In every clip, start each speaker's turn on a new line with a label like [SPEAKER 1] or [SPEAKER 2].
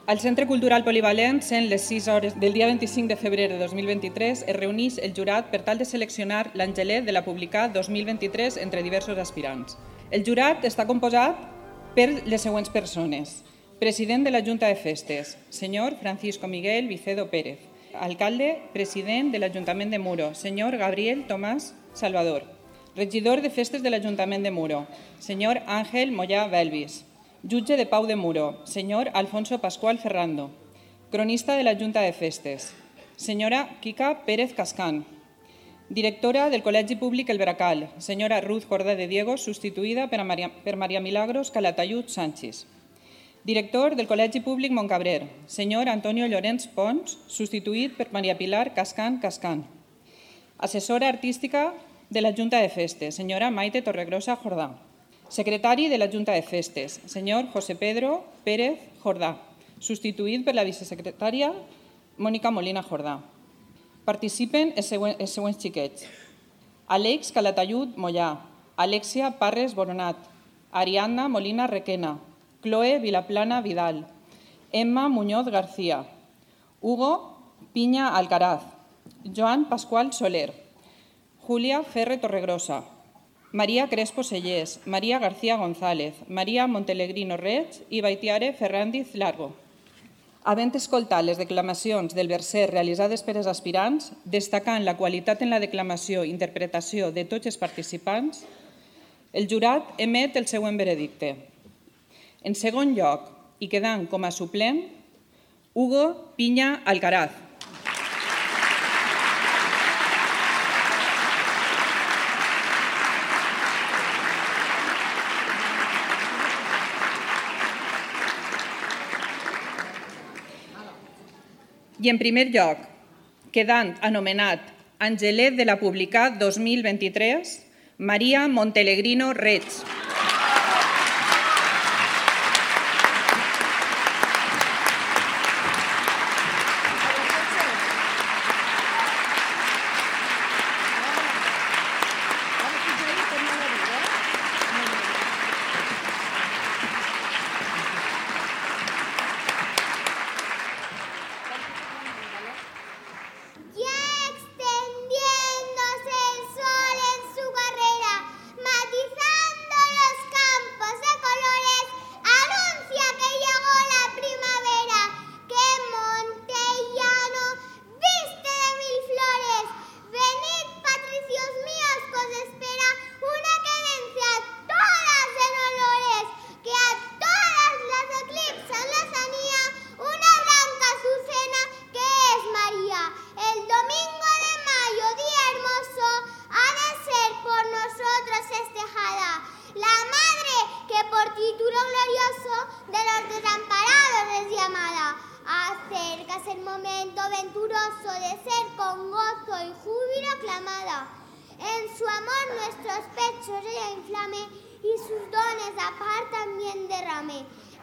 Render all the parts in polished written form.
[SPEAKER 1] Al Centre Cultural Polivalent, sent les 6 hores del dia 25 de febrer de 2023, es reuneix el jurat per tal de seleccionar l'Angelet de la Publicar 2023 entre diversos aspirants. El jurat està composat per les següents persones. President de la Junta de Festes, senyor Francisco Miguel Vicedo Pérez. Alcalde, president de l'Ajuntament de Muro, senyor Gabriel Tomàs Salvador. Regidor de Festes de l'Ajuntament de Muro, senyor Ángel Moyà Belvis. Jutge de Pau de Muro, senyor Alfonso Pascual Ferrando. Cronista de la Junta de Festes, senyora Quica Pérez Cascán. Directora del Col·legi Públic El Bracal, senyora Ruth Jordà de Diego, substituïda per Maria Milagros Calatayud Sánchez. Director del Col·legi Públic Montcabrer, senyor Antonio Llorenç Pons, substituït per Maria Pilar Cascán Cascán. Assessora artística de la Junta de Festes, senyora Maite Torregrosa Jordà. Secretari de la Junta de Festes, senyor José Pedro Pérez Jordà, substituït per la vicesecretària Mònica Molina Jordà. Participen els següents xiquets. Àlex Calatayud Mollà, Alexia Parres Boronat, Ariadna Molina Requena, Chloe Vilaplana Vidal, Emma Muñoz García, Hugo Piña Alcaraz, Joan Pascual Soler, Julia Ferre Torregrosa, Maria Crespo Sellés, Maria García González, Maria Montelegrino Reig i Baitiare Ferrandiz Largo. Havent escoltat les declamacions del verser realitzades per els aspirants, destacant la qualitat en la declamació i interpretació de tots els participants, el jurat emet el següent veredicte. En segon lloc, i quedant com a suplent, Hugo Piña Alcaraz. I en primer lloc, quedant anomenat Angelet de la Publicar 2023, Maria Montelegrino Reig.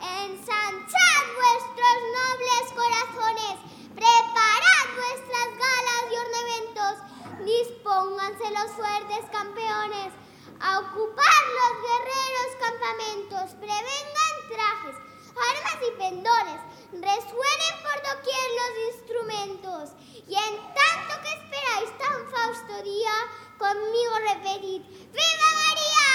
[SPEAKER 2] Ensanchad vuestros nobles corazones, preparad vuestras galas y ornamentos, dispónganse los fuertes campeones a ocupar los guerreros campamentos, prevengan trajes, armas y pendores, resuenen por doquier los instrumentos, y en tanto que esperáis tan fausto día, conmigo repetid, ¡Viva María!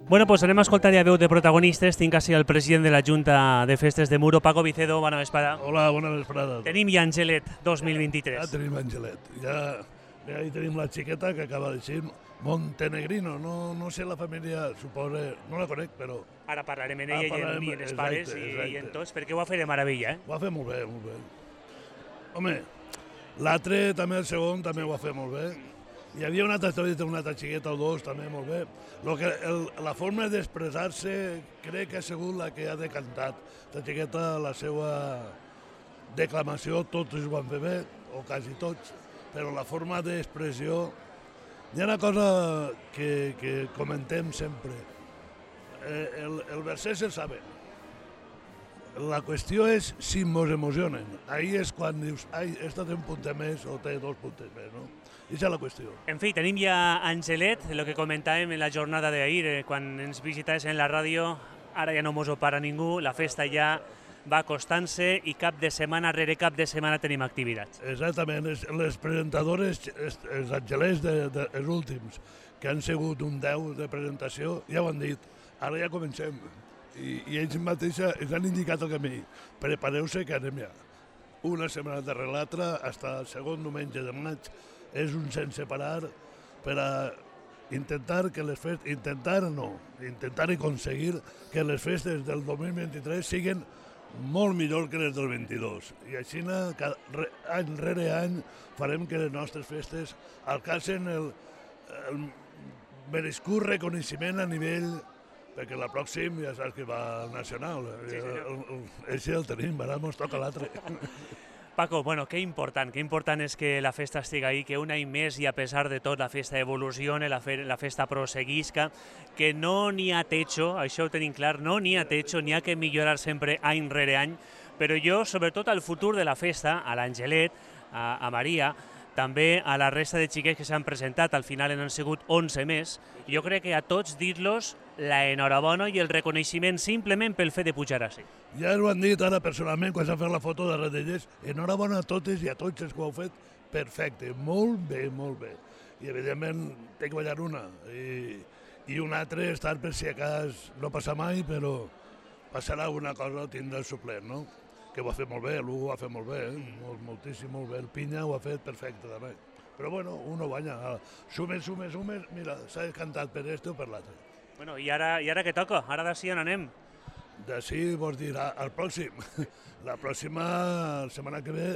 [SPEAKER 3] Bueno, pues anem a escoltar ja veu de protagonistes. Tinc així el president de la Junta de Festes de Muro, Paco Vicedo, bona vesprada.
[SPEAKER 4] Hola, bona vesprada.
[SPEAKER 3] Tenim ja Angelet 2023.
[SPEAKER 4] Ja tenim Angelet. Ja hi tenim la xiqueta que acaba de ser Montenegrino. No sé la família, suposo, no la conec, però...
[SPEAKER 3] Ara parlarem en ella i en els pares i en tots, perquè ho va fer de meravella, eh?
[SPEAKER 4] Ho va fer molt bé, molt bé. Home, l'altre, també el segon, també ho va fer molt bé. Hi havia una altra historieta, una altra xiqueta o dos, també molt bé. La forma d'expressar-se crec que ha sigut la que ha decantat. La xiqueta, la seva declamació, tots ho van fer bé, o quasi tots, però la forma d'expressió... Hi ha una cosa que comentem sempre. El verset se'l saben. La qüestió és si mos emocionen. Ahir és quan dius, ai, esta té un puntet més o té 2 punts més, no? Aquesta és la qüestió.
[SPEAKER 3] En fi, tenim ja Angelet, el que comentàvem en la jornada d'ahir, quan ens visitaves en la ràdio, ara ja no mos ho para ningú, la festa ja va acostant-se i cap de setmana rere cap de setmana tenim activitats.
[SPEAKER 4] Exactament, les presentadores, els angelers dels últims, que han sigut un 10 de presentació, ja ho han dit, ara ja comencem. I ells mateixos ens han indicat el camí. Prepareu-se que anem ja. Una setmana darrere l'altra, fins al segon diumenge de maig, és un sense parar per a intentar i aconseguir que les festes del 2023 siguin molt millor que les del 22. I així, any rere any, farem que les nostres festes alcancen el merescut reconeixement a nivell, perquè la pròxim ja saps que va al nacional. Així el tenim, ara ens toca l'altre.
[SPEAKER 3] Paco, bueno, qué important és que la festa estigui ahí, que un any més i a pesar de tot la festa evolucione, la festa proseguisca, que no n'hi ha techo, això ho tenim clar, no n'hi ha techo, n'hi ha que millorar sempre any rere any, però jo, sobretot al futur de la festa, a l'Angelet, a Maria, també a la resta de xiquets que s'han presentat, al final han sigut 11 més, jo crec que a tots dir-los la enhorabona i el reconeixement simplement pel fet de pujar així.
[SPEAKER 4] Ja ho han dit ara personalment quan s'han fet la foto de Redellers. Enhorabona a totes i a tots els que ho heu fet perfecte, molt bé, molt bé. I evidentment té que ballar una i una altra estar per si a cas no passa mai, però passarà alguna cosa, tindrà el suplent, no? Que ho ha fet molt bé, l'Hugo ho ha fet molt bé, moltíssim, molt bé. El Pinya ho ha fet perfecte també. Però bueno, uno banya. Sumes, mira, s'ha cantat per este o per l'altre.
[SPEAKER 3] Bueno, i ara què toca? Ara d'ací on anem?
[SPEAKER 4] D'ací vols dir al pròxim. La pròxima setmana que ve,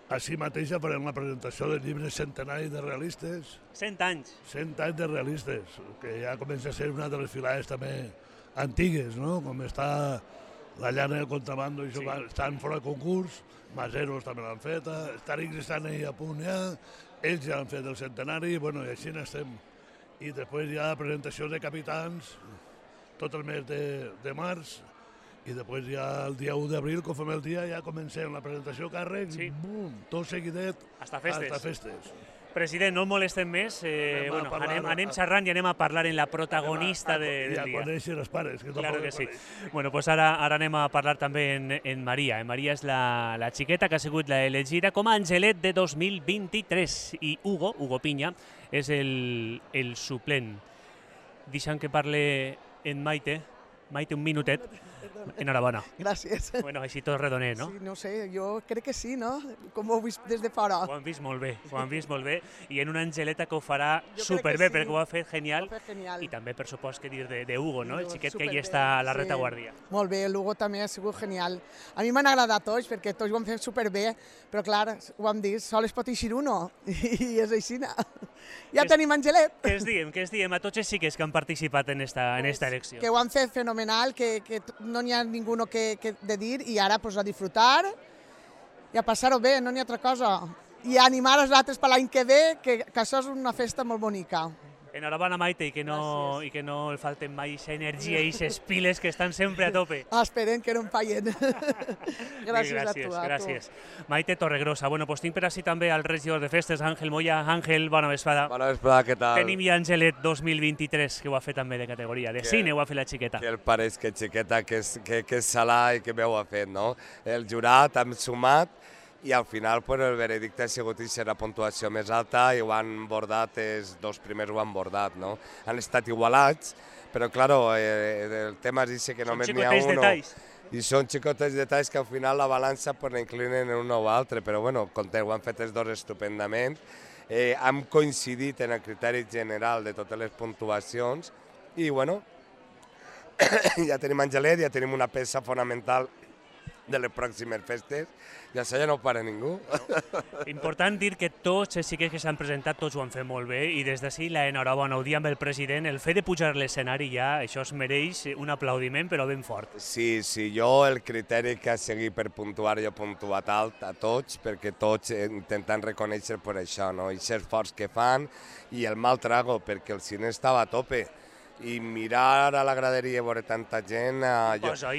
[SPEAKER 4] així mateix farem la presentació del llibre centenari de realistes.
[SPEAKER 3] 100 anys.
[SPEAKER 4] 100 anys de realistes, que ja comença a ser una de les filades també antigues, no? Com està la llana del contrabando, i estan fora de concurs, Maseros també l'han fet, els Tàrics estan ahí a punt ja, ells ja han fet el centenari, bueno, i així n'estem. I després hi ha presentació de capitans tot el mes de març, i després ja el dia 1 d'abril, com fem el dia, ja comencem la presentació càrrecs, i bum, tot seguidet,
[SPEAKER 3] hasta festes. President, no el molestem més, anem xerrant i anem a parlar en la protagonista del dia.
[SPEAKER 4] I a conèixer els pares.
[SPEAKER 3] Claro que sí. Bueno, pues ara anem a parlar també en Maria. Maria és la xiqueta que ha sigut l'elegida com a Angelet de 2023 i Hugo Pinya, és el suplent. Deixa'm que parle en Maite. Maite, un minutet. Enhorabona.
[SPEAKER 5] Gràcies.
[SPEAKER 3] Bueno, així tot redoner, no?
[SPEAKER 5] Sí, no sé, jo crec que sí, no? Com ho heu vist des de fora.
[SPEAKER 3] Ho han vist molt bé, i en una Angeleta que ho farà superbé, perquè ho ha fet genial, i també, per supost, que dir de Hugo, no? El xiquet que hi està a la retaguardia.
[SPEAKER 5] Molt bé, l'Hugo també ha sigut genial. A mi m'han agradat tots, perquè tots ho han fet superbé, però clar, ho hem dit, sol es pot eixir uno, i és així. Ja tenim Angelet.
[SPEAKER 3] Què es diem a tots els xiquets que han participat en esta elecció?
[SPEAKER 5] Que ho han fet fenomenal, que no n'hi ha ningú que de dir, i ara a disfrutar i a passar-ho bé, no n'hi ha altra cosa. I animar els altres per l'any que ve, que això és una festa molt bonica.
[SPEAKER 3] Enhorabona, Maite, i que no el falten mai aquesta energia i aquestes piles que estan sempre a tope.
[SPEAKER 5] Esperem que no em fallen. Gràcies a tu.
[SPEAKER 3] Gràcies. Maite Torregrosa. Bueno, pues tinc per així també al regidor de festes, Àngel Moya. Àngel, bona vesprada.
[SPEAKER 6] Bona vesprada, què tal?
[SPEAKER 3] Tenim ja Angelet 2023, que ho ha fet també de categoria. De cine ho ha fet la xiqueta.
[SPEAKER 6] Que el pareix que xiqueta, que és salà i que bé ho ha fet, no? El jurat hem sumat, i al final el veredicte ha sigut la puntuació més alta i ho han bordat, els dos primers ho han bordat, no? Han estat igualats, però clar, el tema és que només n'hi ha uno. I són xicotes detalls que al final la balança l'inclinen en un o altre, però bueno, ho han fet els dos estupendament. Hem coincidit en el criteri general de totes les puntuacions i bueno, ja tenim Angelet, ja tenim una peça fonamental de les pròximes festes, i això ja no ho para ningú.
[SPEAKER 3] Important dir que tots els xiquets que s'han presentat, tots ho han fet molt bé, i des d'ací l'enhorabona, ho dia amb el president, el fet de pujar a l'escenari ja, això es mereix un aplaudiment, però ben fort.
[SPEAKER 6] Sí, jo el criteri que ha seguit per puntuar, jo he puntuat alt a tots, perquè tots intentant reconèixer per això, no? I ser forts que fan, i el mal trago, perquè el cine estava a tope. I mirar a la graderia i veure tanta gent...
[SPEAKER 3] Imposa.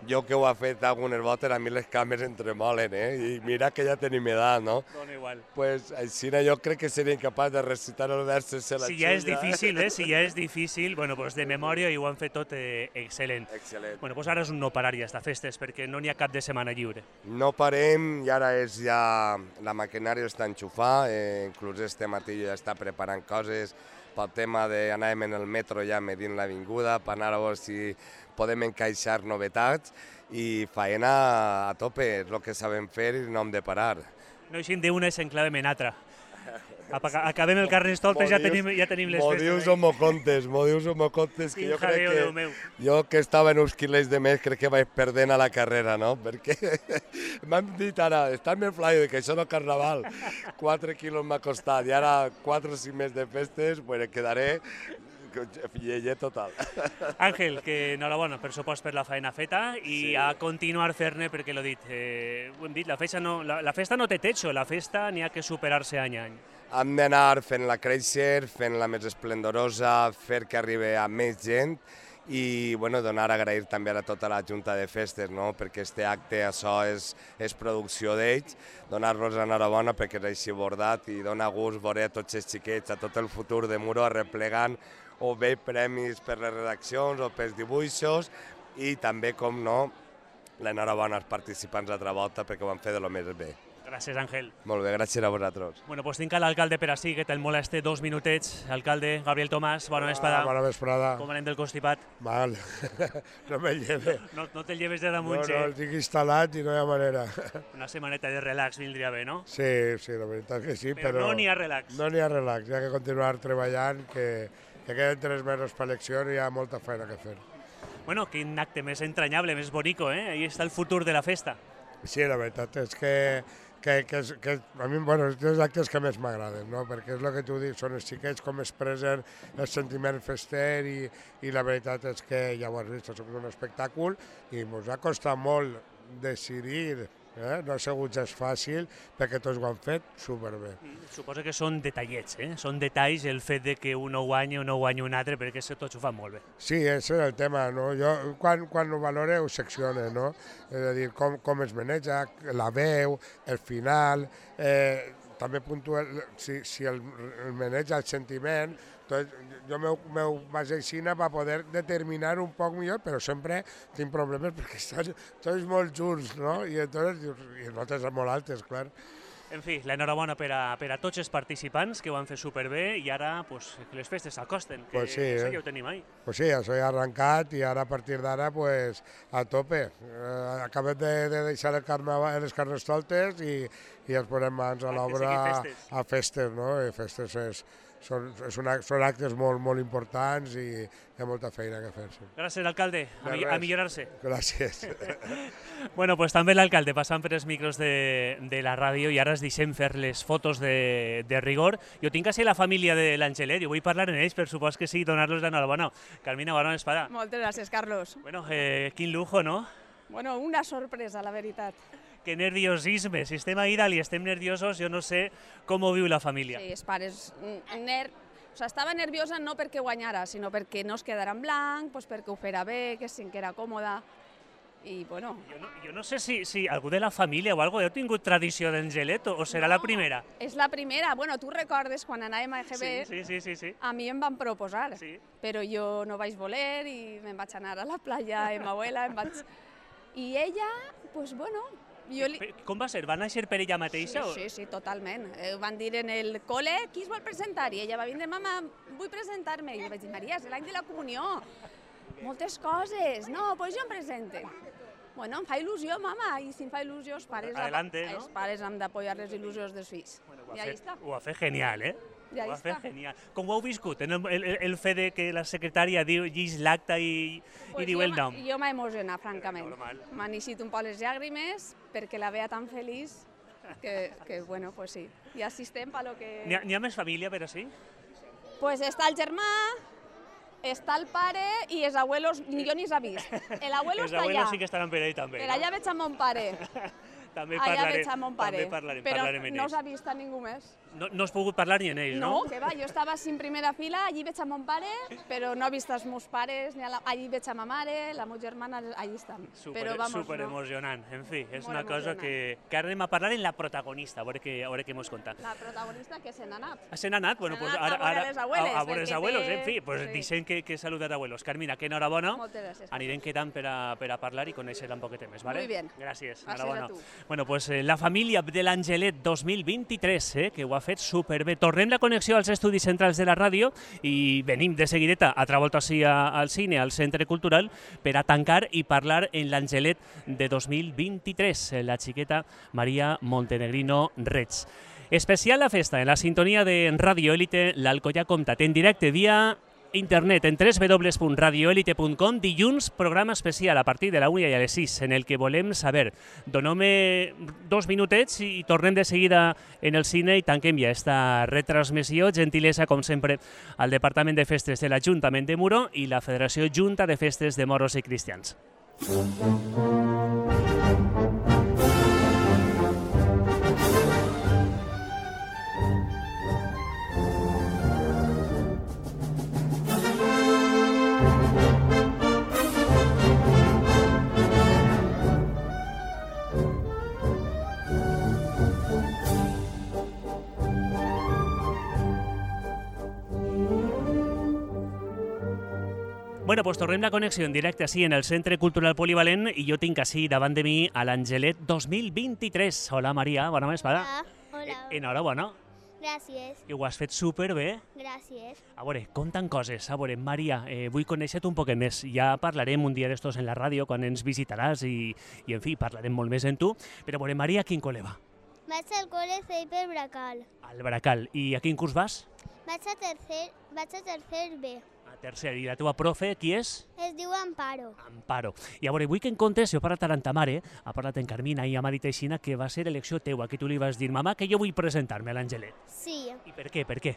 [SPEAKER 6] Jo que ho he fet algunes voltes, a mi les cames em tremolen, i mira que ja tenim edat, no?
[SPEAKER 3] Dona igual.
[SPEAKER 6] Pues així jo crec que seria incapaç de recitar els versos de la
[SPEAKER 3] Si ja és difícil, si ja és difícil, bueno, pues de memòria i ho han fet tot excel·lent.
[SPEAKER 6] Excel·lent.
[SPEAKER 3] Bueno, pues ara és un no parar ja, estas festes, perquè no n'hi ha cap de setmana lliure.
[SPEAKER 6] No parem, i ara és ja... La maquinària està enxufada, inclús este matí ja està preparant coses pel tema d'anàvem en el metro ja medint l'avinguda, per anar a veure si podem encaixar novetats, i faena a tope, és el que sabem fer i no hem de parar.
[SPEAKER 3] No eixim d'una i s'enclavem en altra. Acabem el Carnestoltes, ja tenim les festes.
[SPEAKER 6] M'ho dius o m'ho contes, que jo crec que... Jo que estava en uns quilers de més, crec que vaig perdent a la carrera, no? Perquè m'han dit ara, estàs més flaio, que això no és carnaval. 4 quilos m'ha costat, i ara 4 o 5 més de festes, pues quedaré lleget total.
[SPEAKER 3] Àngel, que enhorabona, per supost, per la feina feta, i a continuar fer-ne, perquè l'ho dit, ho hem dit, la festa no té techo, la festa n'hi ha que superar-se any a any.
[SPEAKER 6] Hem d'anar fent-la créixer, fent-la més esplendorosa, fer que arribi a més gent, i donar a agrair també a tota la Junta de Festes, perquè este acte, això és producció d'ells, donar-los enhorabona perquè és així bordat, i dona gust veure a tots els xiquets, a tot el futur de Muro arreplegant, o bé premis per les redaccions o pels dibuixos, i també, com no, l'enhorabona als participants altra volta perquè ho van fer de lo més bé.
[SPEAKER 3] Gràcies, Àngel.
[SPEAKER 6] Molt bé, gràcies a vosaltres.
[SPEAKER 3] Bueno, pues tinc a l'alcalde per ací, que te'l moleste 2 minutets. Alcalde, Gabriel Tomàs, bona vesprada.
[SPEAKER 7] Bona vesprada.
[SPEAKER 3] Com anem del constipat?
[SPEAKER 7] Mal, no me lleve.
[SPEAKER 3] No te'l lleves de damunt,
[SPEAKER 7] No, el tinc instal·lat i no hi ha manera.
[SPEAKER 3] Una setmaneta de relax vindria bé, no?
[SPEAKER 7] Sí, la veritat que sí,
[SPEAKER 3] però... no n'hi ha relax.
[SPEAKER 7] No n'hi ha relax, hi ha que continuar treballant, que queden 3 mesos per elecció i hi ha molta feina que fer.
[SPEAKER 3] Bueno, quin acte més entranyable, més bonico, eh? Ahí està el futur de la festa.
[SPEAKER 7] Sí, la veritat és que a mi, és dels actes que més m'agraden, no? Perquè és el que tu dius, són els xiquets com expressen el sentiment fester, i la veritat és que ja ho has vist, és un espectacle, i ens ha costat molt decidir, no ha sigut gens fàcil, perquè tots ho han fet superbé.
[SPEAKER 3] Suposo que són detallets, són detalls el fet de que un ho guanyi o no guanyi un altre, perquè tots ho fan molt bé.
[SPEAKER 7] Sí, aquest és el tema, no? Jo, quan ho valore, ho seccione, no? És a dir, com es maneja, la veu, el final, també puntua si el maneja el sentiment. Jo m'ho baso així per poder determinar un poc millor, però sempre tinc problemes perquè estan tots molt junts, no? I notes molt altes, clar.
[SPEAKER 3] En fi, l'enhorabona per a tots els participants, que ho han fet superbé, i ara que les festes s'acosten, que això ja ho tenim ahí.
[SPEAKER 7] Pues sí, això ja ha arrencat, i ara a partir d'ara a tope. Acabem de deixar les Carnestoltes i ens posem mans a l'obra a festes, no? I festes són actes molt importants i hi ha molta feina que fer.
[SPEAKER 3] Gràcies, alcalde. A millorar-se.
[SPEAKER 7] Gràcies.
[SPEAKER 3] Bueno, pues també l'alcalde passant per els micros de la ràdio, i ara es deixem fer les fotos de rigor. Jo tinc a ser la família de l'Angelet, jo vull parlar en ells, per supost que sí, donar-los l'enhorabona. Carmina, bona vesprada.
[SPEAKER 8] Moltes gràcies, Carlos.
[SPEAKER 3] Bueno, quin lujo, no?
[SPEAKER 8] Bueno, una sorpresa, la veritat.
[SPEAKER 3] Que nerviosisme, si estem a Idal i estem nerviosos, jo no sé com ho viu la família.
[SPEAKER 8] Sí, els pares, estava nerviosa no perquè guanyara, sinó perquè no es quedara en blanc, perquè ho fera bé, que sí que era còmoda, i bueno...
[SPEAKER 3] Jo no sé si algú de la família o alguna cosa heu tingut tradició d'Angelet o serà la primera?
[SPEAKER 8] És la primera, bueno, tu recordes quan anàvem a EGB,
[SPEAKER 3] sí.
[SPEAKER 8] A mi em van proposar,
[SPEAKER 3] sí.
[SPEAKER 8] Però jo no vaig voler i me'n vaig anar a la platja amb abuela, i ella, doncs bueno...
[SPEAKER 3] Com va ser? Va néixer per ella mateixa?
[SPEAKER 8] Sí, totalment. Ho van dir en el col·le, qui es vol presentar? I ella va vindre, mama, vull presentar-me. I jo vaig dir, Maria, és l'any de la comunió. Moltes coses. No, doncs jo em presente. Bueno, em fa il·lusió, mama, i si em fa il·lusió, els pares,
[SPEAKER 3] Adelante, ¿no?
[SPEAKER 8] els pares han d'apoyar les il·lusions dels fills. I ahí està.
[SPEAKER 3] Ho ha fet genial, eh?
[SPEAKER 8] I ahí
[SPEAKER 3] Ho ha fet
[SPEAKER 8] està.
[SPEAKER 3] genial. Com ho heu viscut, el fet de que la secretària llegís l'acte i diu el nom?
[SPEAKER 8] Jo m'he emocionat, francament.
[SPEAKER 3] Normal.
[SPEAKER 8] M'han eixit un poc les llàgrimes perquè la veia tan feliç que bueno, pues sí. I així estem per lo que...
[SPEAKER 3] N'hi ha més família, però sí?
[SPEAKER 8] Pues està el germà, està el pare i els abuelos, jo ni s'ha vist. L'abuelo
[SPEAKER 3] Els
[SPEAKER 8] està allà.
[SPEAKER 3] abuelos sí que estaran per ahí també.
[SPEAKER 8] Per allà veig a mon pare.
[SPEAKER 3] També
[SPEAKER 8] Allà veig a mon pare.
[SPEAKER 3] parlarem
[SPEAKER 8] Però
[SPEAKER 3] amb
[SPEAKER 8] no
[SPEAKER 3] ells.
[SPEAKER 8] s'ha vist a ningú més.
[SPEAKER 3] No has pogut parlar ni amb ells, no?
[SPEAKER 8] No, que va, jo estava així en primera fila, allí veig a mon pare, però no he vist els meus pares, allí veig a ma mare, la meva germana, allí estan. Però vamos,
[SPEAKER 3] Super emocionant. En fi, és
[SPEAKER 8] Molt
[SPEAKER 3] una cosa
[SPEAKER 8] emocionant.
[SPEAKER 3] que ara anem a parlar en la protagonista, a veure què mos conta.
[SPEAKER 8] La protagonista que se n'ha anat.
[SPEAKER 3] Se n'ha anat? Bueno,
[SPEAKER 8] Se n'ha
[SPEAKER 3] pues
[SPEAKER 8] anat a veure les abueles,
[SPEAKER 3] a veure els
[SPEAKER 8] perquè
[SPEAKER 3] abuelos,
[SPEAKER 8] té-
[SPEAKER 3] en fi, pues
[SPEAKER 8] sí.
[SPEAKER 3] deixem que saludat abuelos. Carmina, que enhorabona.
[SPEAKER 8] Moltes gràcies.
[SPEAKER 3] Anirem quedant per a parlar i conèixer un poquet més, ¿vale?
[SPEAKER 8] Muy bien.
[SPEAKER 3] Gràcies,
[SPEAKER 8] Gràcies a
[SPEAKER 3] enhorabona.
[SPEAKER 8] tu.
[SPEAKER 3] Bueno, pues la família de l'Angelet 2023, que ho ha fet superbé. Tornem la connexió als estudis centrals de la ràdio i venim de seguideta altra volta així al cine, al Centre Cultural, per a tancar i parlar en l'Angelet de 2023, la xiqueta Maria Montenegrino Reig. Especial la festa en la sintonia de Radio Élite, l'Alcoyà Comtat, en directe via internet en www.radioelite.com. Dilluns, programa especial a partir de la 1 i a les 6, en el que volem saber. Donem-me 2 minutets i tornem de seguida en el cine i tanquem ja esta retransmissió. Gentilesa, com sempre, al Departament de Festes de l'Ajuntament de Muro i la Federació Junta de Festes de Moros i Cristians. Bueno, pues tornem la connexió en directe així en el Centre Cultural Polivalent i jo tinc així davant de mi a l'Angelet 2023. Hola, Maria, bona vesprada.
[SPEAKER 2] Hola.
[SPEAKER 3] Enhorabona,
[SPEAKER 2] Gràcies.
[SPEAKER 3] que ho has fet superbé.
[SPEAKER 2] Gràcies.
[SPEAKER 3] A veure, comptant coses. A veure, Maria, vull conèixer-te un poquet més. Ja parlarem un dia d'estos en la ràdio, quan ens visitaràs i en fi, parlarem molt més en tu. Però a veure, Maria, a quin col·le va?
[SPEAKER 2] Vaig al col·le Ceiper Bracal.
[SPEAKER 3] Al Bracal. I a quin curs vas?
[SPEAKER 2] Vaig a tercer B.
[SPEAKER 3] A tercer. I la teva profe, qui és?
[SPEAKER 2] Es diu Amparo.
[SPEAKER 3] Amparo. I a veure, vull que em contes, si ho parlat ara amb ta mare, ha parlat en Carmina i m'ha dit aixina que va ser elecció teua, que tu li vas dir, mamà, que jo vull presentar-me a l'Angelet.
[SPEAKER 2] Sí.
[SPEAKER 3] I per què? Per què?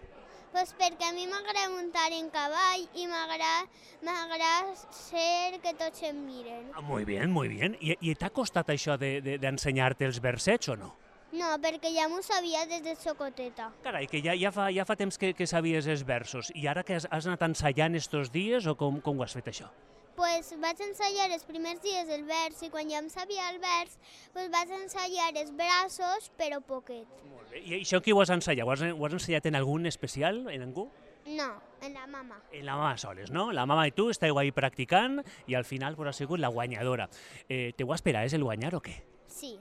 [SPEAKER 2] Pues perquè a mi m'agrada muntar en cavall i m'agrada ser que tots em miren.
[SPEAKER 3] Ah, muy bien, muy bien. I t'ha costat això d'ensenyar-te els versets o no?
[SPEAKER 2] No, perquè ja m'ho sabia des de xocoteta.
[SPEAKER 3] Carai, que ja fa temps que sabies els versos. I ara que has anat ensaiant estos dies o com ho has fet això?
[SPEAKER 2] Pues vaig ensaiar els primers dies el vers i quan ja em sabia el vers, pues vaig ensaiar els braços, però poquet.
[SPEAKER 3] Molt bé. I això qui ho has ensaiat? Ho has ensaiat en algun especial, en algú?
[SPEAKER 2] No, en la mama.
[SPEAKER 3] En la mama soles, no? La mama i tu esteu ahí practicant i al final pues, ha sigut la guanyadora. Te ho esperaves el guanyar o què?
[SPEAKER 2] Sí.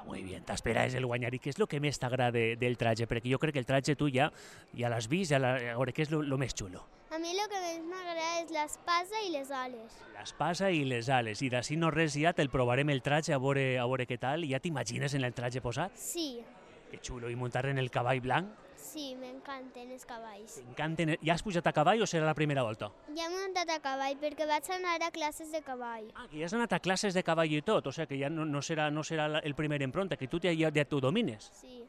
[SPEAKER 3] Muy bien, t'esperaves el guanyar. I què és el que més t'agrada del traje? Perquè jo crec que el traje tu ja l'has vist, a veure, què és el més xulo?
[SPEAKER 2] A mi el que més m'agrada és l'espasa i les ales.
[SPEAKER 3] L'espasa i les ales. I d'ací no res ja te'l provarem el traje a veure què tal. Ja t'imagines en el traje posat?
[SPEAKER 2] Sí,
[SPEAKER 3] Que xulo. I muntar en el cavall blanc?
[SPEAKER 2] sí, m'encanten els cavalls.
[SPEAKER 3] T'encanten. Ja has pujat a cavall o serà la primera volta?
[SPEAKER 2] Ja m'he muntat a cavall perquè vaig anar a classes de cavall.
[SPEAKER 3] Ah, que ja has anat a classes de cavall i tot. O sigui que ja no serà el primer empronta, que tu ja t'ho domines.
[SPEAKER 2] Sí.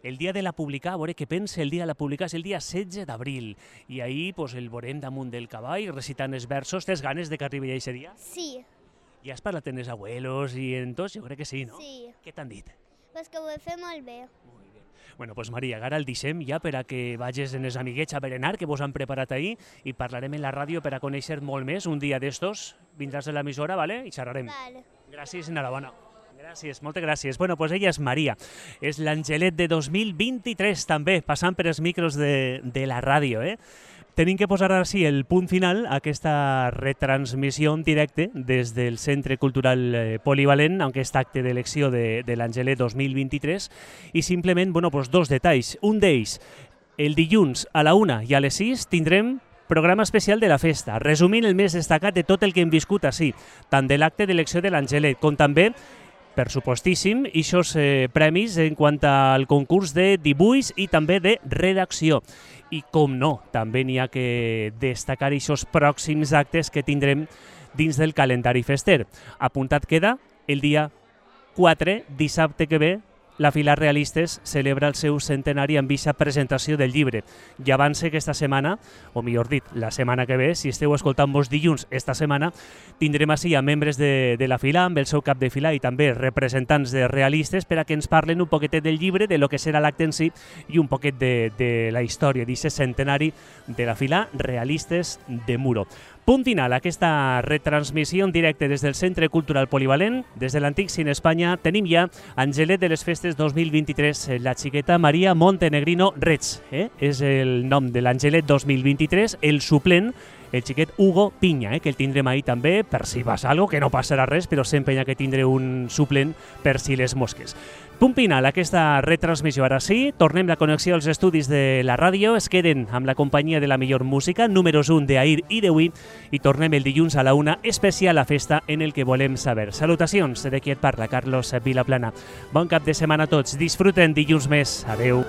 [SPEAKER 3] El dia de la publicar, a veure què pensa el dia de la publicar, és el dia 16 d'abril. I ahir pues, el veurem damunt del cavall, recitant els versos. Tens ganes de que arribi aquest dia?
[SPEAKER 2] Sí,
[SPEAKER 3] Ja has parlat amb els abuelos i en tots? Jo crec que sí, no?
[SPEAKER 2] sí.
[SPEAKER 3] Què t'han dit?
[SPEAKER 2] Pues que ho he fet molt bé.
[SPEAKER 3] Bueno, pues Maria, ara el deixem ja per a que vagis en els amiguets a berenar, que vos han preparat ahir, i parlarem en la ràdio per a conèixer molt més. Un dia d'estos vindràs a l'emissora, ¿vale? I xerrarem.
[SPEAKER 2] Vale.
[SPEAKER 3] Gràcies, enhorabona. Gràcies, moltes gràcies. Bueno, pues ella és Maria, és l'Angelet de 2023 també, passant per els micros de la ràdio, Tenim que posar així el punt final a aquesta retransmissió en directe des del Centre Cultural Polivalent, en aquest acte d'elecció de l'Angelet 2023, i simplement, bueno, pues dos detalls. Un d'ells, el dilluns a la 1 i a les 6 tindrem Programa especial de la festa, resumint el més destacat de tot el que hem viscut així, tant de l'acte d'elecció de l'Angelet com també, per supostíssim, ixos premis en quant al concurs de dibuix i també de redacció. I com no, també n'hi ha que destacar ixos pròxims actes que tindrem dins del calendari fester. Apuntat queda el dia 4, dissabte que ve, la Fila Realistes celebra el seu centenari amb eixa presentació del llibre. I avance que esta setmana, o millor dit, la setmana que ve, si esteu escoltant-vos dilluns esta setmana, tindrem així a membres de la Fila, amb el seu cap de fila i també representants de realistes per a que ens parlen un poquetet del llibre, de lo que serà l'acte en si i un poquet de la història d'aquest centenari de la Fila Realistes de Muro. Punt final a aquesta retransmissió en directe des del Centre Cultural Polivalent. Des de l'Antic Cine Espanya tenim ja Angelet de les Festes 2023, la xiqueta Maria Montenegrino Reig. És el nom de l'Angelet 2023, el suplent, el xiquet Hugo Piña, que el tindrem ahir també, per si passa alguna cosa, que no passarà res, però sempre hi ha que tindre un suplent per si les mosques. Punt final a aquesta retransmissió. Ara sí, tornem la connexió als estudis de la ràdio, es queden amb la companyia de la millor música, números 1 d'ahir i d'avui, i tornem el dilluns a la 1, especial a festa en el que volem saber. Salutacions de qui et parla, Carlos Vilaplana. Bon cap de setmana a tots, disfruten dilluns més. Adeu.